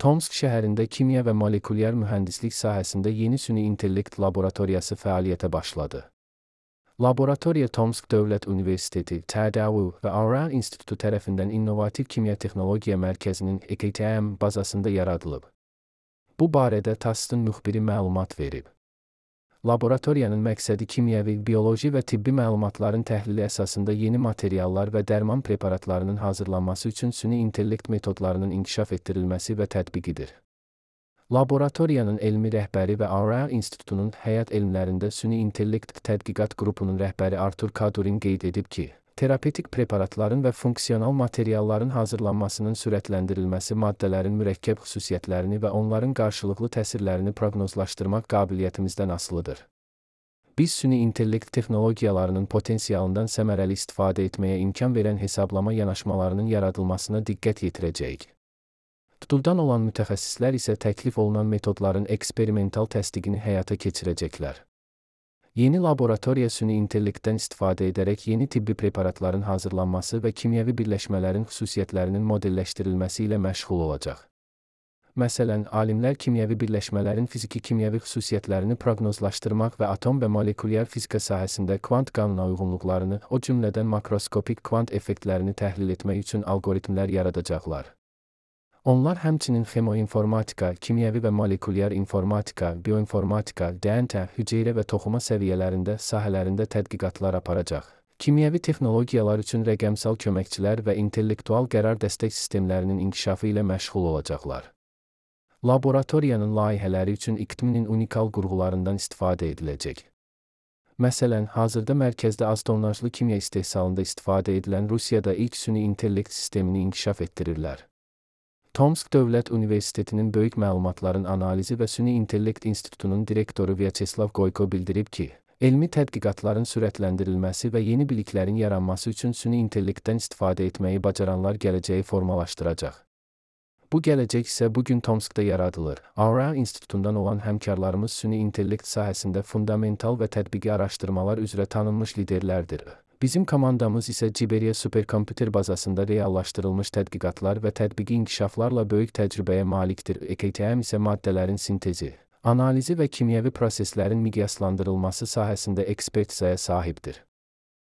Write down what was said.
Tomsk şəhərində kimya və molekulyar mühəndislik sahəsində yeni süni intellekt laboratoriyası fəaliyyətə başladı. Laboratoriya Tomsk Dövlət Universiteti, TDU və Aurel İnstitutu tərəfindən İnnovativ Kimya Texnologiya Mərkəzinin EKTM bazasında yaradılıb. Bu barədə TASS-ın müxbiri məlumat verib. Laboratoriyanın məqsədi kimyəvi, bioloji və tibbi məlumatların təhlili əsasında yeni materiallar və dərman preparatlarının hazırlanması üçün süni intellekt metodlarının inkişaf etdirilməsi və tətbiqidir. Laboratoriyanın elmi rəhbəri və Aurel İnstitutunun həyat elmlərində süni intellekt tədqiqat qrupunun rəhbəri Artur Kadurin qeyd edib ki, terapevtik preparatların və funksional materialların hazırlanmasının sürətləndirilməsi maddələrin mürəkkəb xüsusiyyətlərini və onların qarşılıqlı təsirlərini proqnozlaşdırmaq qabiliyyətimizdən asılıdır. Biz süni intellekt texnologiyalarının potensialından səmərəli istifadə etməyə imkan verən hesablama yanaşmalarının yaradılmasına diqqət yetirəcəyik. Tutuldan olan mütəxəssislər isə təklif olunan metodların eksperimental təsdiqini həyata keçirəcəklər. Yeni laboratoriya süni intellektdən istifadə edərək yeni tibbi preparatların hazırlanması və kimyəvi birləşmələrin xüsusiyyətlərinin modelləşdirilməsi ilə məşğul olacaq. Məsələn, alimlər kimyəvi birləşmələrin fiziki-kimyəvi xüsusiyyətlərini proqnozlaşdırmaq və atom və molekulyar fizika sahəsində kvant qanuna uyğunluqlarını, o cümlədən makroskopik kvant effektlərini təhlil etmək üçün alqoritmlər yaradacaqlar. Onlar həmçinin xemoinformatika, kimyəvi və molekulyar informatika, bioinformatika, DNT, hüceyrə və toxuma səviyyələrində sahələrində tədqiqatlar aparacaq. Kimyəvi texnologiyalar üçün rəqəmsal köməkçilər və intellektual qərar dəstək sistemlərinin inkişafı ilə məşğul olacaqlar. Laboratoriyanın layihələri üçün İKTM-nin unikal qurğularından istifadə ediləcək. Məsələn, hazırda mərkəzdə az tonnajlı kimya istehsalında istifadə edilən Rusiyada ilk süni intellekt sistemini inkişaf etdirirlər. Tomsk Dövlət Universitetinin Böyük Məlumatların Analizi və Süni İntellekt İnstitutunun direktoru Vyacheslav Goyko bildirib ki, elmi tədqiqatların sürətləndirilməsi və yeni biliklərin yaranması üçün süni intellektdən istifadə etməyi bacaranlar gələcəyi formalaşdıracaq. Bu gələcək isə bugün Tomskda yaradılır. Aurel İnstitutundan olan həmkarlarımız süni intellekt sahəsində fundamental və tətbiqi araşdırmalar üzrə tanınmış liderlərdir. Bizim komandamız isə Ciberiya superkompüter bazasında reallaşdırılmış tədqiqatlar və tətbiqi inkişaflarla böyük təcrübəyə malikdir. EKTM isə maddələrin sintezi, analizi və kimyəvi proseslərin miqyaslandırılması sahəsində ekspertizaya sahibdir.